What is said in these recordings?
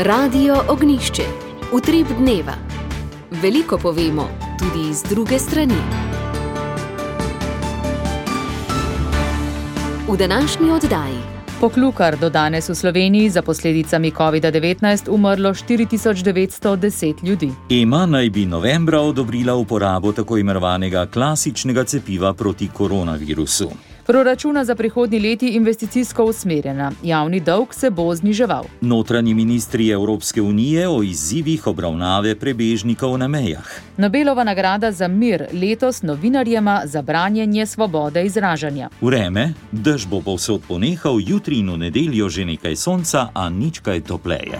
Radio Ognjišče. Utrip dneva. Veliko povemo, tudi iz druge strani. V današnji oddaji. Poklukar do danes v Sloveniji za posledicami COVID-19 umrlo 4910 ljudi. EMA naj bi novembra odobrila uporabo tako imenovanega klasičnega cepiva proti koronavirusu. Proračuna za prihodnji leti investicijsko usmerjena. Javni dolg se bo zniževal. Notranji ministri Evropske unije o izzivih obravnave prebežnikov na mejah. Nobelova nagrada za mir letos novinarjema za branjenje svobode izražanja. Vreme, dež bo povsod ponehal, jutri in v nedeljo že nekaj sonca, a nič kaj topleje.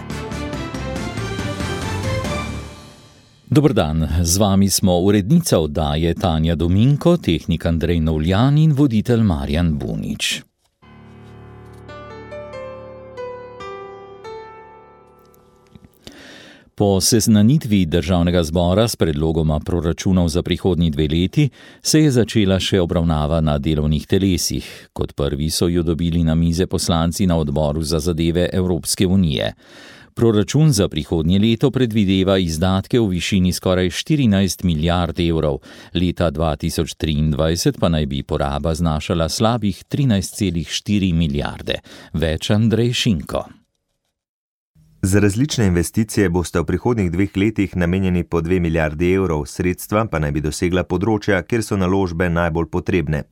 Dober dan, z vami smo urednica oddaje Tanja Dominko, tehnik Andrej Novljan in voditelj Marjan Bunič. Po seznanitvi državnega zbora s predlogoma proračunov za prihodnji 2 leti se je začela še obravnava na delovnih telesih. Kot prvi so jo dobili na mize poslanci na odboru za zadeve Evropske unije. Proračun za prihodnje leto predvideva izdatke v višini skoraj 14 milijard evrov, leta 2023 pa naj bi poraba znašala slabih 13,4 milijarde. Več Andrej Šinko. Za različne investicije boste v prihodnjih 2 letih namenjeni po 2 milijardi evrov, sredstva pa naj bi dosegla področja, kjer so naložbe najbolj potrebne.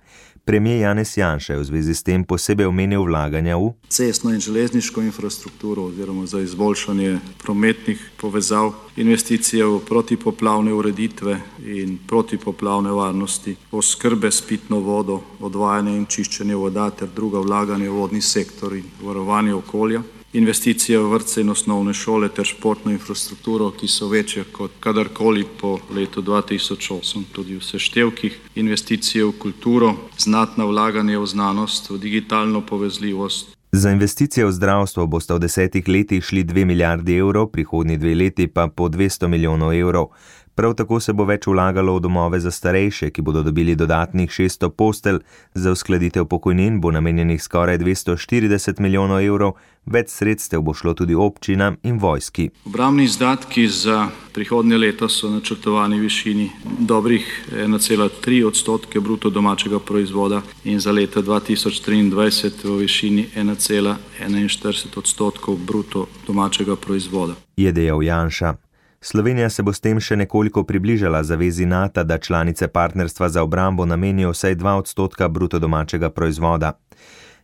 Premijer Janez Janša je v zvezi s tem posebej omenil vlaganja v cestno in železniško infrastrukturo oziroma za izboljšanje prometnih povezav, investicije v protipoplavne ureditve in protipoplavne varnosti, oskrbe s pitno vodo, odvajanje in čiščenje voda ter druga vlaganja v vodni sektor in varovanje okolja, investicije v vrtce in osnovne šole ter športno infrastrukturo, ki so večje kot kadarkoli po letu 2008, tudi v seštevkih, investicije v kulturo, znatna vlaganja v znanost, v digitalno povezljivost. Za investicije v zdravstvo boste v 10 letih šli 2 milijardi evrov, prihodnji 2 leti pa po 200 milijonov evrov. Prav tako se bo več vlagalo v domove za starejše, ki bodo dobili dodatnih 600 postelj, za uskladitev pokojnin bo namenjenih skoraj 240 milijonov evrov, več sredstev bo šlo tudi občinam in vojski. Obrambni izdatki za prihodnje leto so načrtovani v višini dobrih 1,3% bruto domačega proizvoda in za leto 2023 v višini 1,41% bruto domačega proizvoda. Je dejal Janša. Slovenija se bo s tem še nekoliko približala zavezi NATO, da članice partnerstva za obrambo namenijo vsaj 2% bruto domačega proizvoda.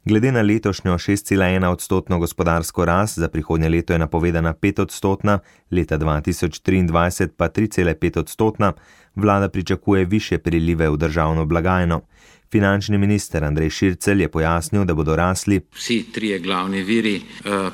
Glede na letošnjo 6,1% gospodarsko rast, za prihodnje leto je napovedana 5%, leta 2023 pa 3,5%, vlada pričakuje višje prilive v državno blagajno. Finančni minister Andrej Šircelj je pojasnil, da bodo rasli vsi 3 glavni viri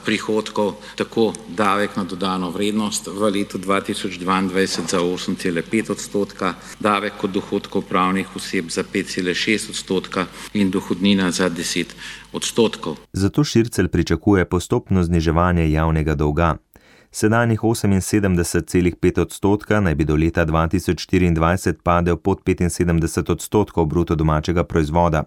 prihodkov, tako davek na dodano vrednost v letu 2022 za 8,5%, davek od dohodkov pravnih oseb za 5,6% in dohodnina za 10%. Zato Šircelj pričakuje postopno zniževanje javnega dolga. Sedanjih 78,5% naj bi do leta 2024 padel pod 75% bruto domačega proizvoda.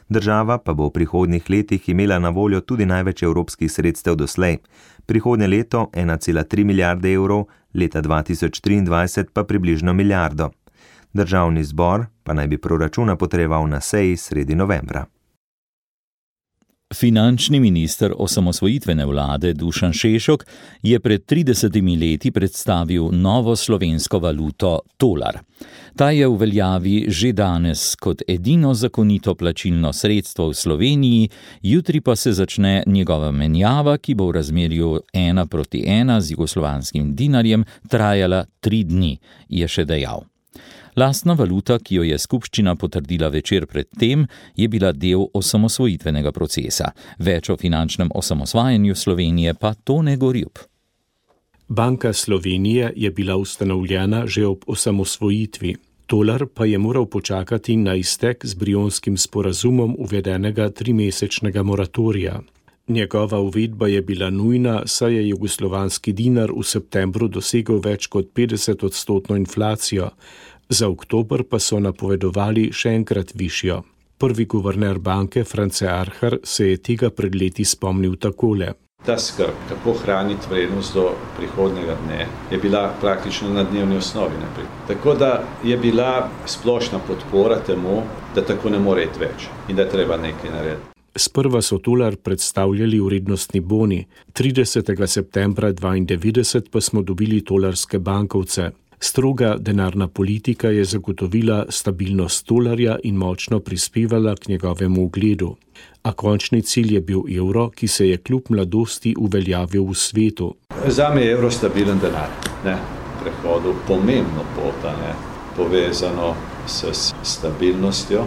Država pa bo v prihodnjih letih imela na voljo tudi največ evropskih sredstev doslej. Prihodnje leto 1,3 milijarde evrov, leta 2023 pa približno milijardo. Državni zbor pa naj bi proračuna potreboval na seji sredi novembra. Finančni minister osamosvojitvene vlade Dušan Šešok je pred 30 leti predstavil novo slovensko valuto tolar. Ta je v veljavi že danes kot edino zakonito plačilno sredstvo v Sloveniji, jutri pa se začne njegova menjava, ki bo v razmerju 1:1 z jugoslovanskim dinarjem trajala 3 dni, je še dejal. Lastna valuta, ki jo je skupščina potrdila večer pred tem, je bila del osamosvojitvenega procesa. Več o finančnem osamosvajanju Slovenije pa Tone Gorjup. Banka Slovenije je bila ustanovljena že ob osamosvojitvi. Tolar pa je moral počakati na iztek z Brionskim sporazumom uvedenega 3-mesečnega moratorija. Njegova uvedba je bila nujna, saj je jugoslovanski dinar v septembru dosegel več kot 50% inflacijo, za oktober pa so napovedovali še enkrat višjo. Prvi guverner banke, France Arhar, se je tega pred leti spomnil takole. Ta skrb, kako hraniti vrednost do prihodnjega dne, je bila praktično na dnevni osnovi naprej. Tako da je bila splošna podpora temu, da tako ne more iti več in da treba nekaj narediti. Sprva so tolar predstavljali vrednostni boni, 30. septembra 1992 pa smo dobili tolarske bankovce. Stroga denarna politika je zagotovila stabilnost tolarja in močno prispevala k njegovemu ugledu. A končni cilj je bil evro, ki se je kljub mladosti uveljavil v svetu. Zame je evro stabilen denar, prehodu pomembno pota, povezano s stabilnostjo,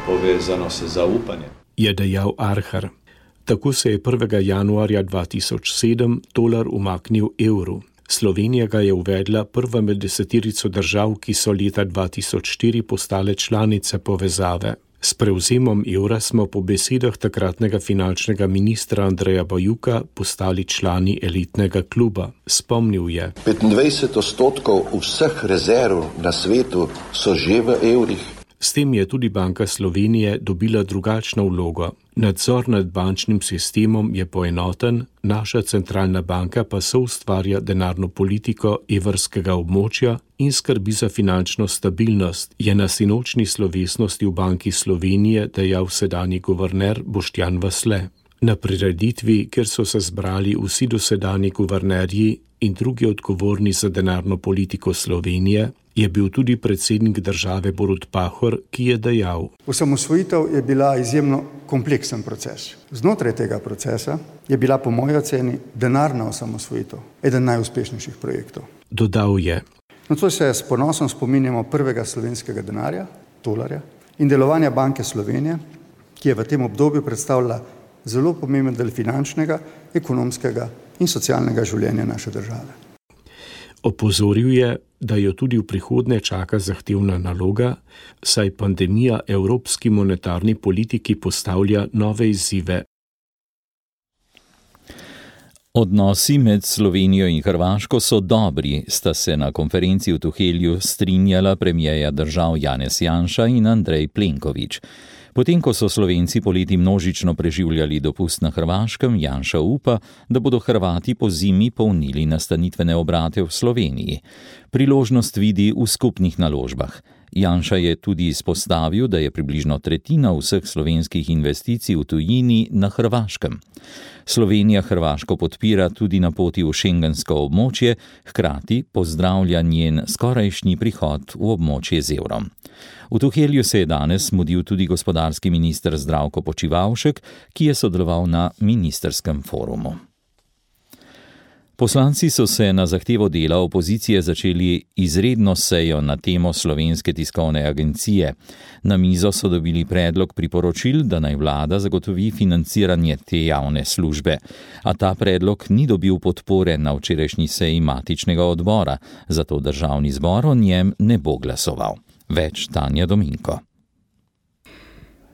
povezano s zaupanjem. Je dejal Arhar. Tako se je 1. januarja 2007 tolar umaknil evru. Slovenija ga je uvedla prva med 10 držav, ki so leta 2004 postale članice povezave. S prevzemom evra smo po besedah takratnega finančnega ministra Andreja Bajuka postali člani elitnega kluba. Spomnil je: 25% vseh rezerv na svetu so že v evrih. S tem je tudi Banka Slovenije dobila drugačno vlogo. Nadzor nad bančnim sistemom je poenoten, naša centralna banka pa soustvarja denarno politiko evrskega območja in skrbi za finančno stabilnost, je na sinočni slovesnosti v Banki Slovenije dejal sedanji guverner Boštjan Vasle. Na prireditvi, kjer so se zbrali vsi dosedanji guvernerji in drugi odgovorni za denarno politiko Slovenije, je bil tudi predsednik države Borut Pahor, ki je dejal: Osamosvojitev je bila izjemno kompleksen proces. Znotraj tega procesa je bila po moji oceni denarna osamosvojitev eden najuspešnejših projektov. Dodal je: Nocoj se s ponosom spominjamo prvega slovenskega denarja, tolarja, in delovanja Banke Slovenije, ki je v tem obdobju predstavljala zelo pomemben del finančnega, ekonomskega in socialnega življenja naše države. Opozoril je, da jo tudi v prihodnje čaka zahtevna naloga, saj pandemija evropski monetarni politiki postavlja nove izzive. Odnosi med Slovenijo in Hrvaško so dobri, sta se na konferenci v Tuhelju strinjala premierja držav Janez Janša in Andrej Plenković. Potem, ko so Slovenci poleti množično preživljali dopust na Hrvaškem, Janša upa, da bodo Hrvati po zimi polnili nastanitvene obrate v Sloveniji. Priložnost vidi v skupnih naložbah. Janša je tudi izpostavil, da je približno tretjina vseh slovenskih investicij v tujini na Hrvaškem. Slovenija Hrvaško podpira tudi na poti v šengensko območje, hkrati pozdravlja njen skorajšnji prihod v območje z evrom. V Tuhelju se je danes mudil tudi gospodarski minister Zdravko Počivalšek, ki je sodeloval na ministrskem forumu. Poslanci so se na zahtevo dela opozicije začeli izredno sejo na temo Slovenske tiskovne agencije. Na mizo so dobili predlog priporočil, da naj vlada zagotovi financiranje te javne službe. A ta predlog ni dobil podpore na včerajšnji seji matičnega odbora, zato državni zbor o njem ne bo glasoval. Več Tanja Dominko.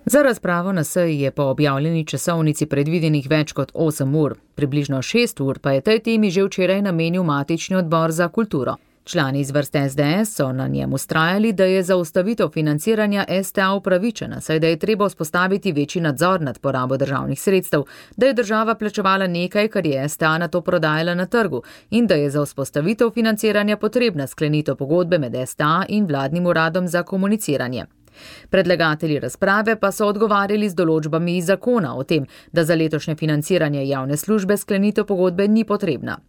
Za razpravo na seji je po objavljeni časovnici predvidenih več kot 8 ur. Približno 6 ur pa je tej temi že včeraj namenil matični odbor za kulturo. Člani iz vrste SDS so na njem vztrajali, da je zaustavitev financiranja STA upravičena, saj da je treba vzpostaviti večji nadzor nad porabo državnih sredstev, da je država plačevala nekaj, kar je STA nato prodajala na trgu in da je za vzpostavitev financiranja potrebna sklenitev pogodbe med STA in vladnim uradom za komuniciranje. Predlagatelji razprave pa so odgovarjali z določbami iz zakona o tem, da za letošnje financiranje javne službe sklenitev pogodbe ni potrebna.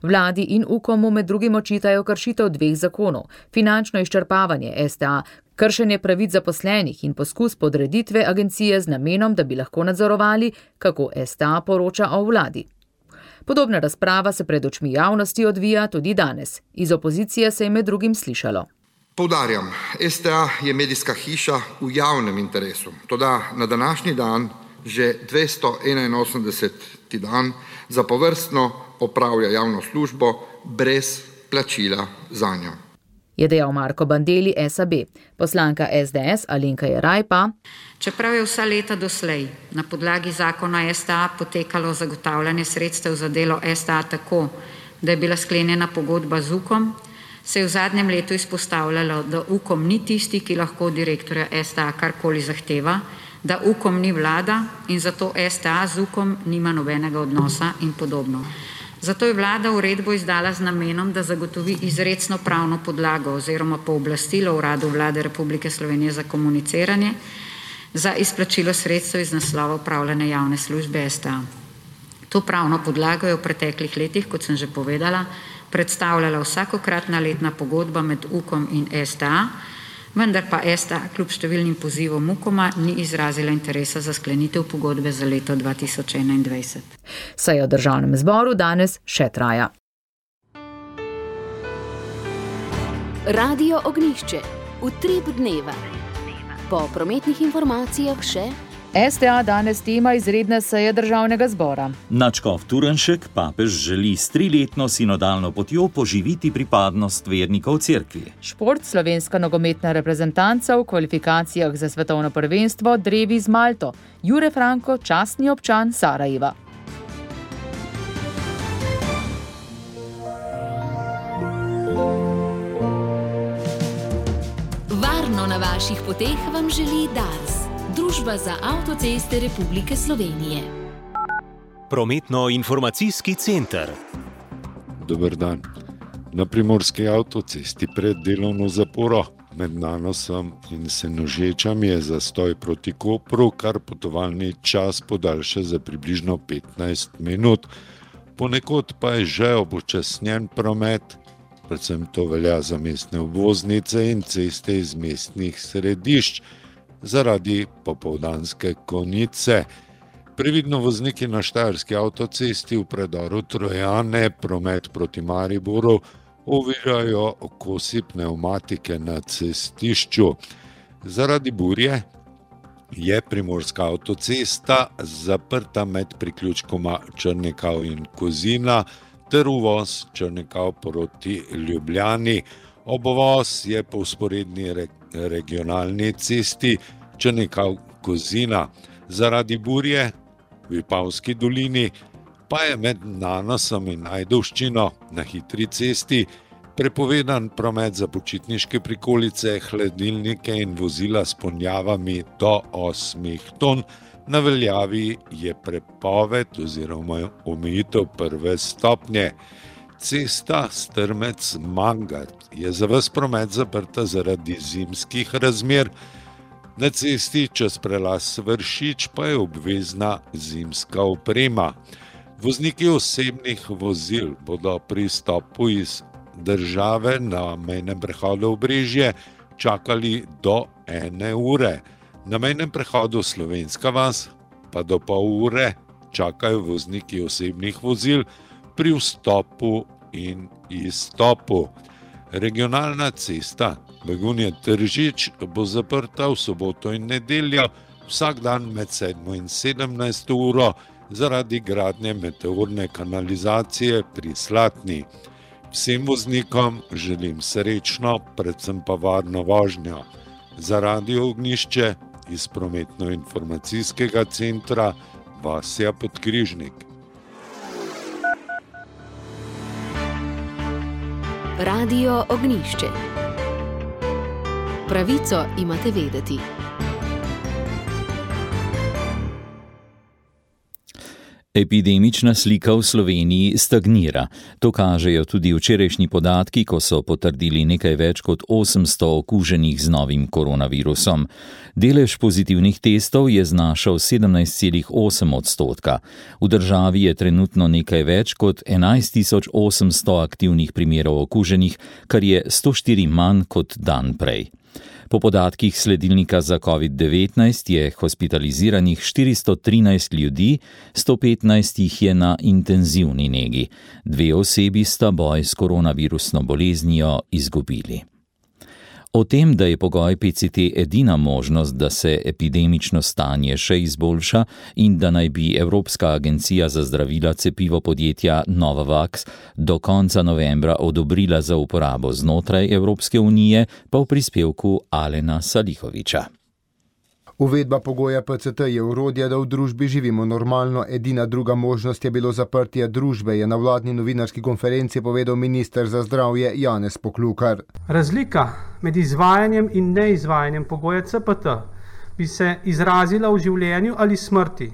Vladi in UKOM-u med drugim očitajo kršitev 2 zakonov, finančno izčrpavanje STA, kršenje pravic zaposlenih in poskus podreditve agencije z namenom, da bi lahko nadzorovali, kako STA poroča o vladi. Podobna razprava se pred očmi javnosti odvija tudi danes. Iz opozicije se je med drugim slišalo: Poudarjam, STA je medijska hiša v javnem interesu. Toda na današnji dan, že 281. dan, zapovrstno opravlja javno službo brez plačila zanjo. Je dejal Marko Bandelli, SAB. Poslanka SDS Alenka Jeraj pa: Čeprav je vsa leta doslej na podlagi zakona STA potekalo zagotavljanje sredstev za delo STA tako, da je bila sklenjena pogodba z UKOM, se je v zadnjem letu izpostavljalo, da UKOM ni tisti, ki lahko direktorja STA karkoli zahteva, da UKOM ni vlada in zato STA z UKOM nima nobenega odnosa in podobno. Zato je vlada uredbo izdala z namenom, da zagotovi izrecno pravno podlago oziroma pooblastilo Uradu Vlade Republike Slovenije za komuniciranje za izplačilo sredstev iz naslova upravljanja javne službe STA. To pravno podlago je v preteklih letih, kot sem že povedala, predstavljala vsakokratna letna pogodba med UKOM in STA, vendar pa STA kljub številnim pozivom UKOM-a ni izrazila interesa za sklenitev pogodbe za leto 2021. Seja v Državnem zboru danes še traja. Radio Ognjišče. Utrip dneva. Po prometnih informacijah še STA danes tema izredne seje Državnega zbora. Nadškof Turnšek papež želi s 3-letno sinodalno potjo poživiti pripadnost vernikov cerkvi. Šport, slovenska nogometna reprezentanca v kvalifikacijah za svetovno prvenstvo drevi z Malto. Jure Franko, častni občan Sarajeva. Varno na vaših poteh vam želi Dars. Družba za avtoceste Republike Slovenije. Prometno-informacijski center. Dober dan. Na Primorski avtocesti pred delovno zaporo med Nanosom in Senožečami je zastoj proti Kopru, kar potovalni čas podaljša za približno 15 minut. Ponekod pa je že upočasnjen promet, predvsem to velja za mestne obvoznice in ceste iz mestnih središč, zaradi popoldanske konice. Previdno vozniki na Štajerski avtocesti v predoru Trojane promet proti Mariboru ovirajo kosi pnevmatike na cestišču. Zaradi burje je Primorska avtocesta zaprta med priključkoma Črnikav in Kozina ter uvoz Črnikav proti Ljubljani. Obvoz je po vzporedni regionalni cesti Črnikav-Kozina. Zaradi burje v Vipavski dolini pa je med Nanosom in Ajdovščino na hitri cesti prepovedan promet za počitniške prikolice, hladilnike in vozila s ponjavami do 8 ton. Na veljavi je prepoved oziroma omejitev 1. stopnje. Cesta Strmec-Mangart je za ves promet zaprta zaradi zimskih razmer. Na cesti čez prelaz Vršič pa je obvezna zimska oprema. Vozniki osebnih vozil bodo pri stopu iz države na mejnem prehodu Obrežje čakali do 1 ure. Na mejnem prehodu Slovenska vas pa do pol ure čakajo vozniki osebnih vozil pri vstopu in izstopu. Regionalna cesta Begunje-Tržič bo zaprta v soboto in nedeljo, vsak dan med 7 in 17 uro zaradi gradnje meteorne kanalizacije pri Slatni. Vsem voznikom želim srečno, predvsem pa varno vožnjo. Za Radio Ognjišče iz prometno-informacijskega centra Vasja Podkrižnik. Radio Ognjišče. Pravico imate vedeti. Epidemična slika v Sloveniji stagnira. To kažejo tudi včerajšnji podatki, ko so potrdili nekaj več kot 800 okuženih z novim koronavirusom. Delež pozitivnih testov je znašal 17,8%. V državi je trenutno nekaj več kot 11.800 aktivnih primerov okuženih, kar je 104 manj kot dan prej. Po podatkih sledilnika za COVID-19 je hospitaliziranih 413 ljudi, 115 jih je na intenzivni negi. 2 osebi sta boj s koronavirusno boleznijo izgubili. O tem, da je pogoj PCT edina možnost, da se epidemično stanje še izboljša in da naj bi Evropska agencija za zdravila cepivo podjetja Novavax do konca novembra odobrila za uporabo znotraj Evropske unije, pa v prispevku Alena Salihoviča. Uvedba pogoja PCT je orodje, da v družbi živimo normalno. Edina druga možnost je bilo zaprtje družbe, je na vladni novinarski konferenci povedal minister za zdravje Janez Poklukar. Razlika med izvajanjem in neizvajanjem pogoja CPT bi se izrazila v življenju ali smrti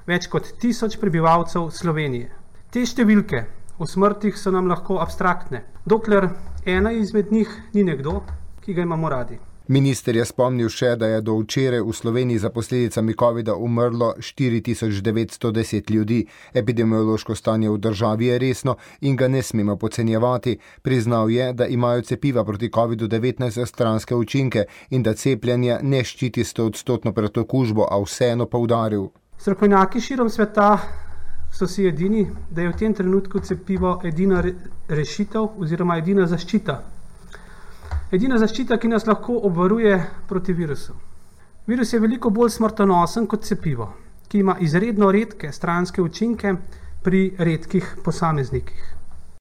več kot 1000 prebivalcev Slovenije. Te številke o smrtih so nam lahko abstraktne, dokler ena izmed njih ni nekdo, ki ga imamo radi. Minister je spomnil še, da je do včeraj v Sloveniji za posledicami COVID-a umrlo 4910 ljudi. Epidemiološko stanje v državi je resno in ga ne smemo podcenjevati. Priznal je, da imajo cepiva proti COVID-19 stranske učinke in da cepljenje ne ščiti 100% pred okužbo, a vseeno poudaril. Strokovnjaki širom sveta so si edini, da je v tem trenutku cepivo edina rešitev oziroma edina zaščita. Edina zaščita, ki nas lahko obvaruje proti virusu. Virus je veliko bolj smrtonosen kot cepivo, ki ima izredno redke stranske učinke pri redkih posameznikih.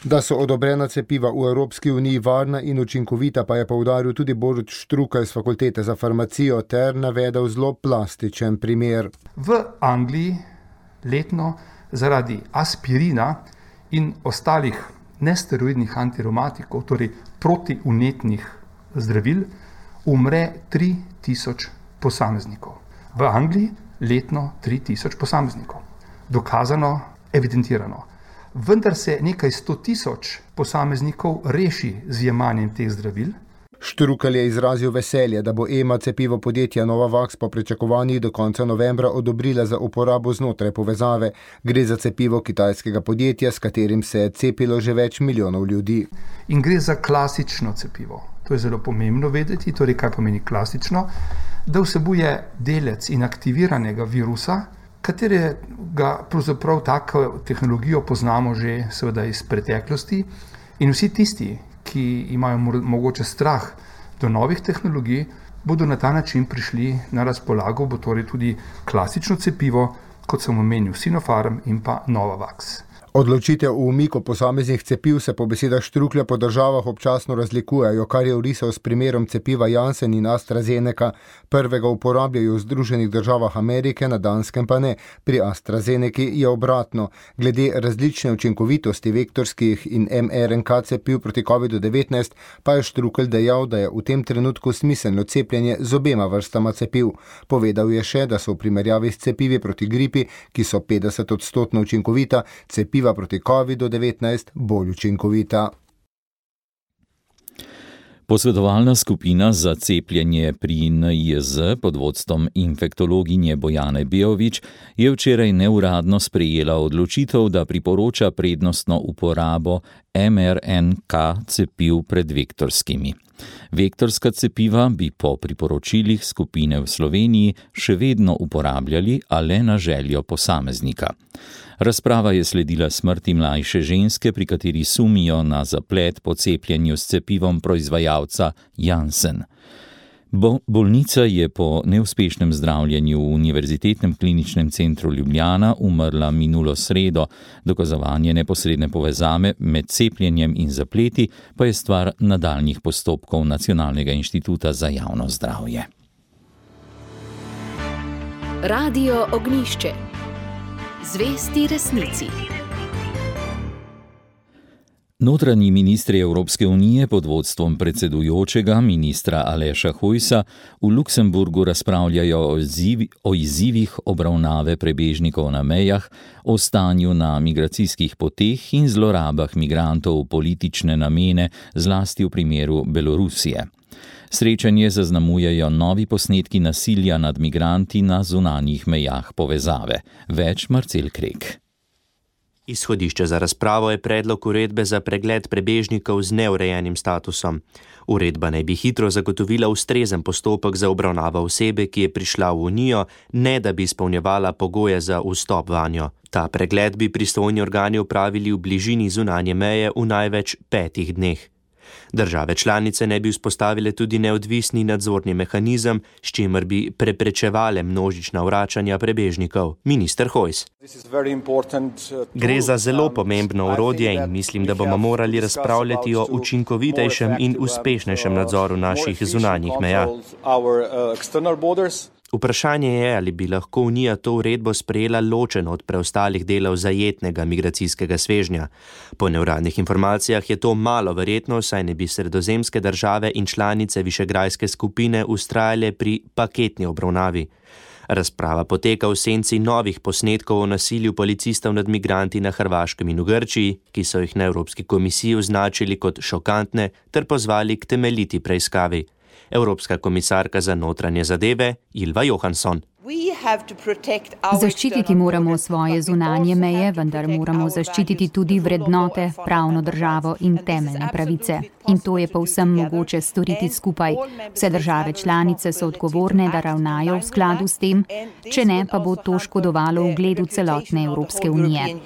Da so odobrena cepiva v Evropski uniji varna in učinkovita, pa je poudaril tudi Borut Štrukelj z Fakultete za farmacijo ter navedel zelo plastičen primer. V Angliji letno zaradi aspirina in ostalih nesteroidnih antireumatikov, torej protivnetnih zdravil, umre 3000 posameznikov. V Angliji letno 3000 posameznikov. Dokazano, evidentirano. Vendar se nekaj 100 000 posameznikov reši z jemanjem teh zdravil. Štrukelj je izrazil veselje, da bo EMA cepivo podjetja Novavax po pričakovanjih do konca novembra odobrila za uporabo znotraj povezave. Gre za cepivo kitajskega podjetja, s katerim se je cepilo že več milijonov ljudi. In gre za klasično cepivo. To je zelo pomembno vedeti, torej kaj pomeni klasično, da vsebuje delec inaktiviranega virusa, katerega pravzaprav tako tehnologijo poznamo že seveda iz preteklosti in vsi tisti, ki imajo mogoče strah do novih tehnologij, bodo na ta način prišli na razpolago, bo torej tudi klasično cepivo, kot sem omenil Sinopharm in pa Novavax. Odločitev o umiku posameznih cepiv se po besedah Štruklja po državah občasno razlikujejo, kar je orisal s primerom cepiva Janssen in AstraZeneca. Prvega uporabljajo v Združenih državah Amerike, na Danskem pa ne. Pri AstraZeneki je obratno. Glede različne učinkovitosti vektorskih in mRNK cepiv proti COVID-19 pa je Štrukelj dejal, da je v tem trenutku smiselno cepljenje z obema vrstama cepiv. Povedal je še, da so v primerjavi s cepivi proti gripi, ki so 50% učinkovita, cepiva proti COVID-19 bolj učinkovita. Posvetovalna skupina za cepljenje pri NIJZ pod vodstvom infektologinje Bojane Beović je včeraj neuradno sprejela odločitev, da priporoča prednostno uporabo mRNK cepiv pred vektorskimi. Vektorska cepiva bi po priporočilih skupine v Sloveniji še vedno uporabljali, a le na željo posameznika. Razprava je sledila smrti mlajše ženske, pri kateri sumijo na zaplet po cepljenju s cepivom proizvajalca Janssen. Bolnica je po neuspešnem zdravljenju v Univerzitetnem kliničnem centru Ljubljana umrla minulo sredo. Dokazovanje neposredne povezave med cepljenjem in zapleti pa je stvar nadaljnjih postopkov Nacionalnega inštituta za javno zdravje. Radio Ognjišče. Zvesti resnici. Notranji ministri Evropske unije pod vodstvom predsedujočega ministra Aleša Hojsa v Luksemburgu razpravljajo o izzivih obravnave prebežnikov na mejah, o stanju na migracijskih poteh in zlorabah migrantov v politične namene, zlasti v primeru Belorusije. Srečanje zaznamujejo novi posnetki nasilja nad migranti na zunanjih mejah povezave. Več Marcel Krek. Izhodišče za razpravo je predlog uredbe za pregled prebežnikov z neurejenim statusom. Uredba naj bi hitro zagotovila ustrezen postopek za obravnavo osebe, ki je prišla v Unijo, ne da bi izpolnjevala pogoje za vstop vanjo. Ta pregled bi pristojni organi opravili v bližini zunanje meje v največ 5 dneh. Države članice ne bi vzpostavile tudi neodvisni nadzorni mehanizem, s čimer bi preprečevale množična vračanja prebežnikov. Minister Hojs. Gre za zelo pomembno orodje in mislim, da bomo morali razpravljati o učinkovitejšem in uspešnejšem nadzoru naših zunanjih meja. Vprašanje je, ali bi lahko Unija to uredbo sprejela ločeno od preostalih delov zajetnega migracijskega svežnja. Po neuradnih informacijah je to malo verjetno, saj ne bi sredozemske države in članice Višegrajske skupine vztrajale pri paketni obravnavi. Razprava poteka v senci novih posnetkov o nasilju policistov nad migranti na Hrvaškem in v Grčiji, ki so jih na Evropski komisiji označili kot šokantne ter pozvali k temeljiti preiskavi. Evropska komisarka za notranje zadeve Ylva Johansson. Zaščititi moramo svoje zunanje meje, vendar moramo zaščititi tudi vrednote, pravno državo in temeljne pravice. In to je povsem mogoče storiti skupaj. Vse države članice so odgovorne, da ravnajo v skladu s tem, če ne, pa bo to škodovalo ugledu celotne Evropske unije.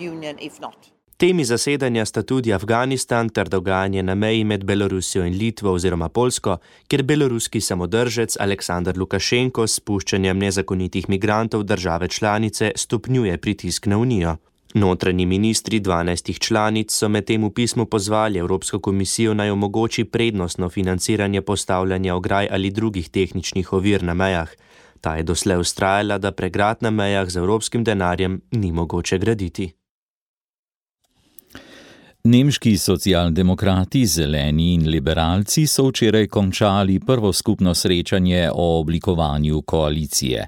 Temi zasedanja sta tudi Afganistan ter dogajanje na meji med Belorusijo in Litvo oziroma Poljsko, kjer beloruski samodržec Aleksandar Lukašenko s spuščanjem nezakonitih migrantov države članice stopnjuje pritisk na Unijo. Notranji ministri 12 članic so medtem v pismu pozvali Evropsko komisijo naj omogoči prednostno financiranje postavljanja ograj ali drugih tehničnih ovir na mejah. Ta je doslej vztrajala, da pregrad na mejah z evropskim denarjem ni mogoče graditi. Nemški socialdemokrati, zeleni in liberalci so včeraj končali prvo skupno srečanje o oblikovanju koalicije.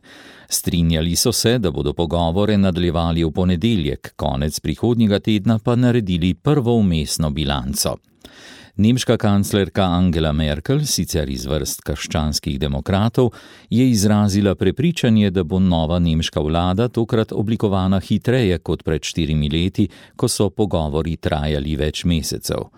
Strinjali so se, da bodo pogovore nadaljevali v ponedeljek, konec prihodnjega tedna pa naredili prvo vmesno bilanco. Nemška kanclerka Angela Merkel, sicer iz vrst krščanskih demokratov, je izrazila prepričanje, da bo nova nemška vlada tokrat oblikovana hitreje kot pred 4 leti, ko so pogovori trajali več mesecev.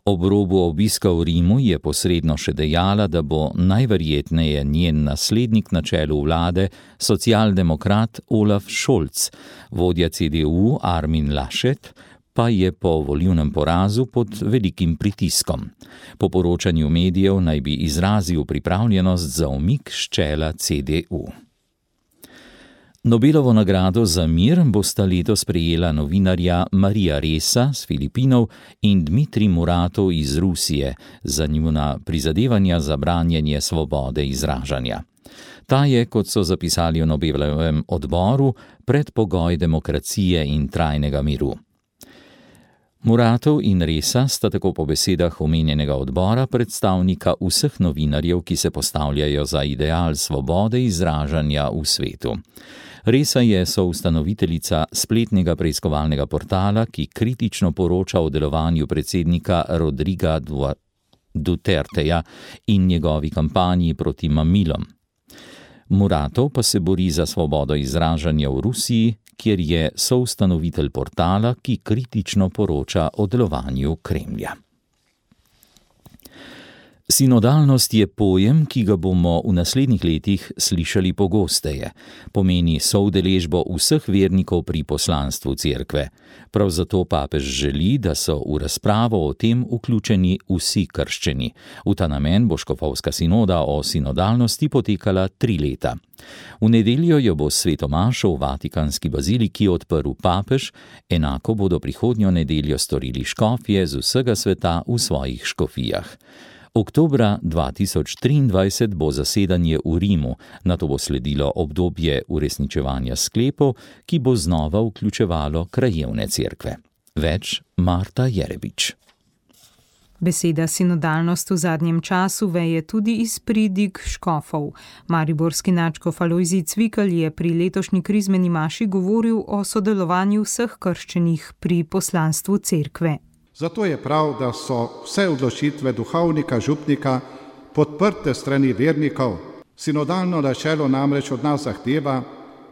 Ob robu obiska v Rimu je posredno še dejala, da bo najverjetneje njen naslednik na čelu vlade socialdemokrat Olaf Scholz, vodja CDU Armin Laschet, pa je po volilnem porazu pod velikim pritiskom. Po poročanju medijev naj bi izrazil pripravljenost za umik s čela CDU. Nobelovo nagrado za mir bosta letos prejela novinarja Marija Ressa z Filipinov in Dmitrij Muratov iz Rusije za njuna prizadevanja za branjenje svobode izražanja. Ta je, kot so zapisali v Nobelovem odboru, predpogoj demokracije in trajnega miru. Muratov in Ressa sta tako po besedah omenjenega odbora predstavnika vseh novinarjev, ki se postavljajo za ideal svobode izražanja v svetu. Ressa je soustanoviteljica spletnega preiskovalnega portala, ki kritično poroča o delovanju predsednika Rodriga Duterteja in njegovi kampanji proti mamilom. Muratov pa se bori za svobodo izražanja v Rusiji, kjer je soustanovitelj portala, ki kritično poroča o delovanju Kremlja. Sinodalnost je pojem, ki ga bomo v naslednjih letih slišali pogosteje. Pomeni soudeležbo vseh vernikov pri poslanstvu cerkve. Prav zato papež želi, da so v razpravo o tem vključeni vsi krščeni. V ta namen bo škofovska sinoda o sinodalnosti potekala 3 leta. V nedeljo jo bo sveto mašo v Vatikanski baziliki odprl papež, enako bodo prihodnjo nedeljo storili škofje z vsega sveta v svojih škofijah. Oktobra 2023 bo zasedanje v Rimu, nato bo sledilo obdobje uresničevanja sklepov, ki bo znova vključevalo krajevne cerkve. Več Marta Jerebič. Beseda sinodalnost v zadnjem času veje tudi iz pridig škofov. Mariborski nadškof Alojzij Cvikl je pri letošnji krizmeni maši govoril o sodelovanju vseh krščenih pri poslanstvu cerkve. Zato je prav, da so vse odločitve duhovnika, župnika podprte strani vernikov. Sinodalno načelo namreč od nas zahteva,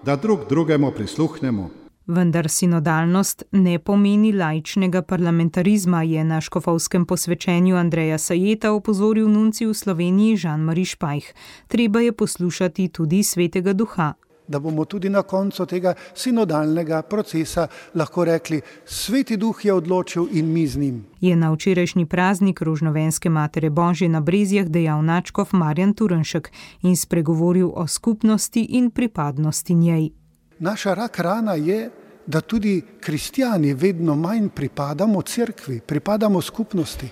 da drug drugemu prisluhnemo. Vendar sinodalnost ne pomeni laičnega parlamentarizma, je na škofovskem posvečenju Andreja Sajeta opozoril nuncij v Sloveniji Jean-Marie Špajh. Treba je poslušati tudi svetega duha. Da bomo tudi na koncu tega sinodalnega procesa lahko rekli, sveti duh je odločil in mi z njim. Je na včerajšnji praznik Rožnovenske matere Božje na Brezjah dejal nadškof Marjan Turnšek in spregovoril o skupnosti in pripadnosti njej. Naša rak rana je, da tudi kristjani vedno manj pripadamo cerkvi, pripadamo skupnosti,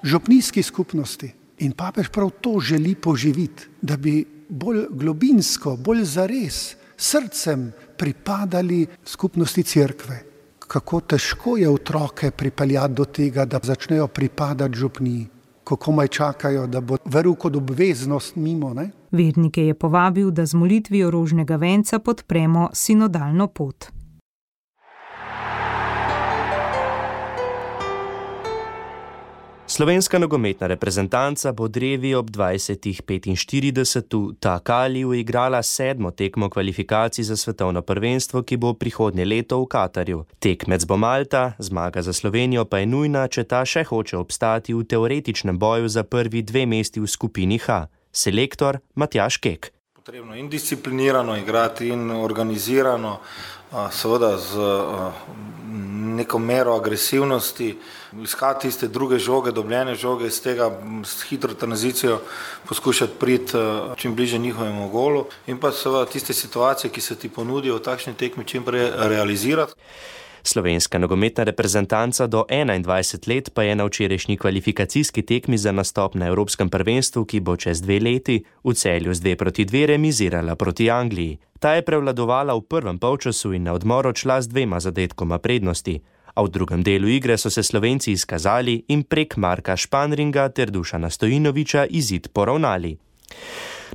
župnijski skupnosti. In papež prav to želi poživiti, da bi bolj globinsko, bolj zares, srcem pripadali skupnosti cerkve. Kako težko je otroke pripeljati do tega, da začnejo pripadati župniji, ko komaj čakajo, da bo veru kot obveznost mimo, ne? Vernike je povabil, da z molitvijo rožnega venca podpremo sinodalno pot. Slovenska nogometna reprezentanca bo drevi ob 20:45 v Takaliju igrala 7. tekmo kvalifikacij za svetovno prvenstvo, ki bo prihodnje leto v Katarju. Tekmec bo Malta, zmaga za Slovenijo pa je nujna, če ta še hoče obstati v teoretičnem boju za prvi 2 mesti v skupini H. Selektor Matjaž Kek. Potrebno in disciplinirano igrati in organizirano, seveda z neko mero agresivnosti, iskati tiste druge žoge, dobljene žoge, iz tega s hitro tranzicijo poskušati priti čim bliže njihovemu golu in pa seveda tiste situacije, ki se ti ponudijo v takšni tekmi, čim prej realizirati. Slovenska nogometna reprezentanca do 21 let pa je na včerajšnji kvalifikacijski tekmi za nastop na Evropskem prvenstvu, ki bo čez 2 leti, v Celju z 2:2 remizirala proti Angliji. Ta je prevladovala v prvem polčasu in na odmor odšla z 2 zadetkoma prednosti, a v drugem delu igre so se Slovenci izkazali in prek Marka Španringa ter Dušana Stojinovića izid poravnali.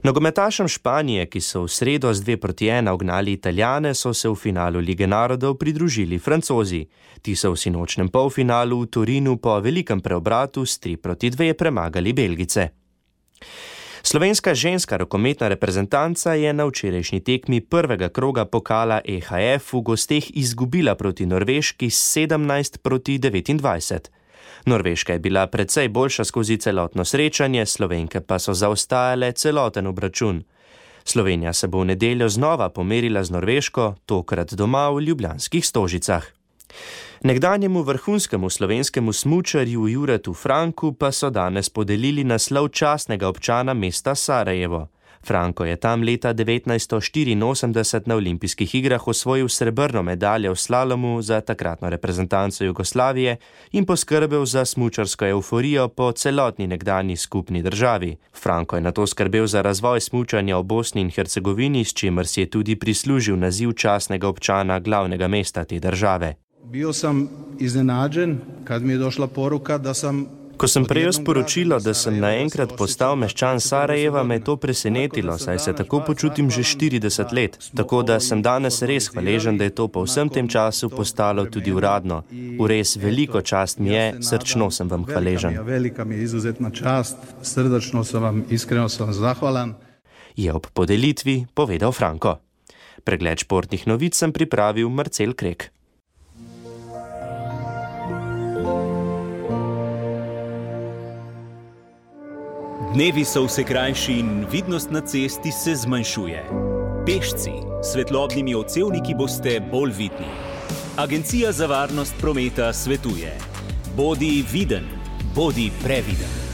Nogometašem Španije, ki so v sredo z 2:1 ugnali Italijane, so se v finalu Lige narodov pridružili Francozi. Ti so v sinočnem polfinalu v Torinu po velikem preobratu s 3:2 premagali Belgice. Slovenska ženska rokometna reprezentanca je na včerajšnji tekmi prvega kroga pokala EHF v gosteh izgubila proti Norveški s 17:29. Norveška je bila precej boljša skozi celotno srečanje, Slovenke pa so zaostajale celoten obračun. Slovenija se bo v nedeljo znova pomerila z Norveško, tokrat doma v ljubljanskih Stožicah. Nekdanjemu vrhunskemu slovenskemu smučarju Juretu Franku pa so danes podelili naslov častnega občana mesta Sarajevo. Franko je tam leta 1984 na olimpijskih igrah osvojil srebrno medaljo v slalomu za takratno reprezentanco Jugoslavije in poskrbel za smučarsko evforijo po celotni nekdanji skupni državi. Franko je nato skrbel za razvoj smučanja v Bosni in Hercegovini, s čimer si je tudi prislužil naziv častnega občana glavnega mesta te države. Bio sam iznenađen kad mi je došla poruka da sam... Ko sem prejel sporočilo, da sem naenkrat postal meščan Sarajeva, me je to presenetilo, saj se tako počutim že 40 let. Tako da sem danes res hvaležen, da je to po vsem tem času postalo tudi uradno. V res veliko čast mi je, srčno sem vam hvaležen. Velika mi je izuzetna čast, srdačno sem vam, iskreno sem vam zahvalan. Je ob podelitvi povedal Franko. Pregled športnih novic sem pripravil Marcel Krek. Dnevi so vse krajši in vidnost na cesti se zmanjšuje. Pešci s svetlobnimi odsevniki boste bolj vidni. Agencija za varnost prometa svetuje: bodi viden, bodi previden.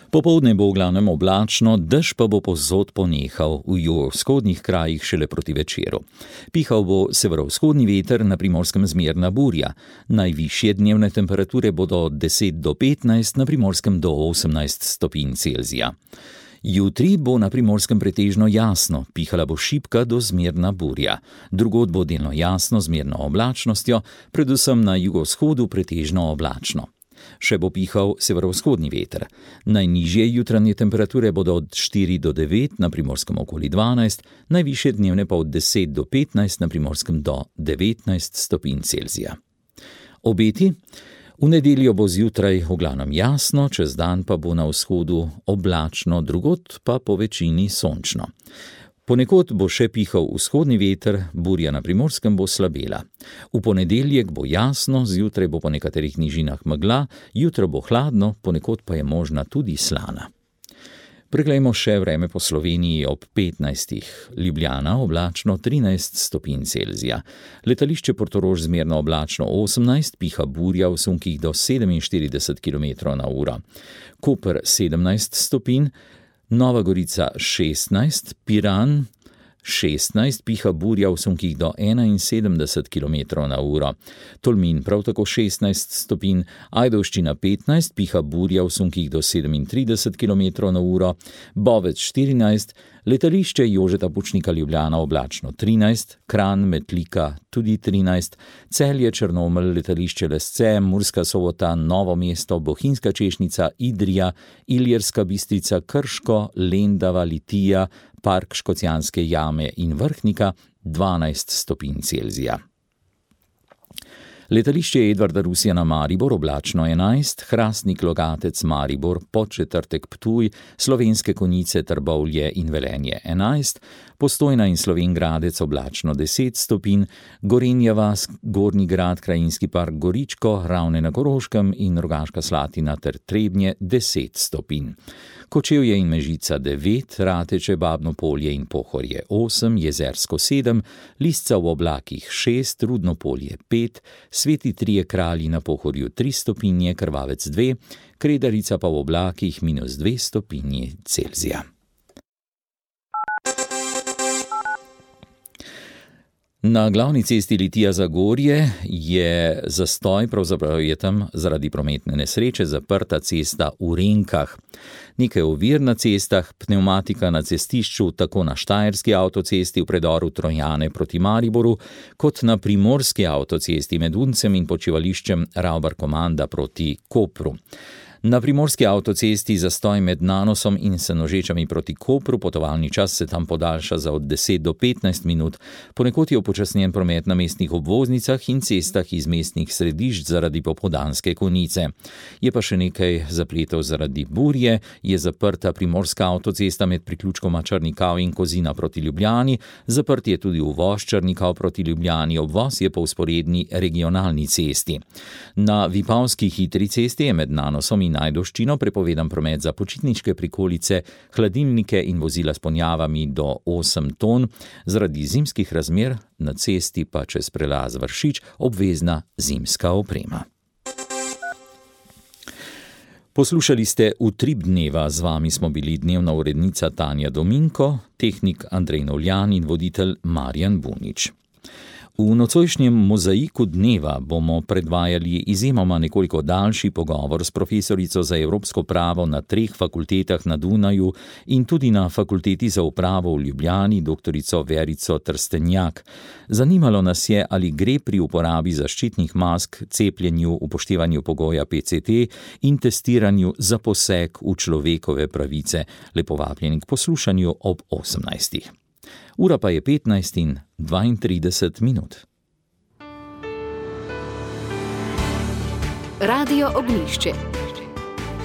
Popoldne bo v glavnem oblačno, dež pa bo povsod ponehal, v jugovzhodnih krajih šele proti večeru. Pihal bo severovzhodni veter, na Primorskem zmerna burja. Najvišje dnevne temperature bodo od 10 do 15, na Primorskem do 18 stopinj Celzija. Jutri bo na Primorskem pretežno jasno, pihala bo šibka do zmerna burja. Drugod bo delno jasno z zmerno oblačnostjo, predvsem na jugovzhodu pretežno oblačno. Še bo pihal severovzhodni veter. Najnižje jutranje temperature bodo od 4 do 9, na Primorskem okoli 12, najvišje dnevne pa od 10 do 15, na Primorskem do 19 stopinj Celzija. Obeti? V nedeljo bo zjutraj v glavnem jasno, čez dan pa bo na vzhodu oblačno, drugod pa po večini sončno. Ponekod bo še pihal vzhodni veter, burja na Primorskem bo slabela. V ponedeljek bo jasno, zjutraj bo po nekaterih nižinah megla, jutro bo hladno, ponekod pa je možna tudi slana. Preglejmo še vreme po Sloveniji ob 15. Ljubljana oblačno 13 stopinj Celzija. Letališče Portorož zmerno oblačno 18, piha burja v sunkih do 47 km/h. Koper 17 stopinj, Nova Gorica 16, Piran 16 piha burja v sunkih do 71 km/h. Tolmin prav tako 16 stopinj, Ajdovščina 15 piha burja v sunkih do 37 km/h, Bovec 14, letališče Jožeta Pučnika Ljubljana oblačno 13, Kranj, Metlika tudi 13, Celje, Črnomelj, letališče Lesce, Murska Sobota, Novo mesto, Bohinjska Češnica, Idrija, Ilirska Bistrica, Krško, Lendava, Litija, Park Škocjanske jame in Vrhnika 12 stopinj Celzija. Letališče Edvarda Rusjana Maribor oblačno 11, Hrastnik Logatec Maribor, Podčetrtek Ptuj, Slovenske Konjice Trbovlje in Velenje 11, Postojna in Slovenj Gradec oblačno 10 stopinj, Gorenja vas, Gornji Grad, Krajinski park Goričko, Ravne na Koroškem in Rogaška Slatina ter Trebnje 10 stopinj. Kočevje in Mežica 9, Rateče, Babno Polje in Pohorje 8, Jezersko 7, Lisca v oblakih 6, Rudno Polje 5, Sveti Trije Kralji na Pohorju 3 stopinje, Krvavec 2, Kredarica pa v oblakih -2 stopinji Celzija. Na glavni cesti Litija-Zagorje je zastoj, pravzaprav je tam zaradi prometne nesreče zaprta cesta v Renkah. Nekaj ovir na cestah, pnevmatika na cestišču tako na Štajerski avtocesti v predoru Trojane proti Mariboru, kot na Primorski avtocesti med Uncem in počivališčem Ravbar-Komanda proti Kopru. Na Primorski avtocesti zastoj med Nanosom in Senožečami proti Kopru, potovalni čas se tam podaljša za od 10 do 15 minut, ponekod je upočasnjen promet na mestnih obvoznicah in cestah iz mestnih središč zaradi popoldanske konice. Je pa še nekaj zapletov zaradi burje, je zaprta Primorska avtocesta med priključkoma Črnikav in Kozina proti Ljubljani, zaprt je tudi uvoz Črnikav proti Ljubljani, obvoz je po vzporedni regionalni cesti. Na Vipavski hitri cesti je med Nanosom in Ajdovščino prepovedan promet za počitniške prikolice, hladilnike in vozila s ponjavami do 8 ton, zaradi zimskih razmer na cesti pa čez prelaz Vršič obvezna zimska oprema. Poslušali ste Utrip dneva, z vami smo bili dnevna urednica Tanja Dominko, tehnik Andrej Novljan in voditelj Marjan Bunič. V nocojšnjem mozaiku dneva bomo predvajali izjemoma nekoliko daljši pogovor s profesorico za evropsko pravo na 3 fakultetah na Dunaju in tudi na Fakulteti za upravo v Ljubljani, doktorico Verico Trstenjak. Zanimalo nas je, ali gre pri uporabi zaščitnih mask, cepljenju, upoštevanju pogoja PCT in testiranju za poseg v človekove pravice. Lepo vabljeni k poslušanju ob 18. Ura pa je 15:32. Radio Ognjišče.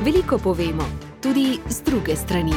Veliko povemo, tudi z druge strani.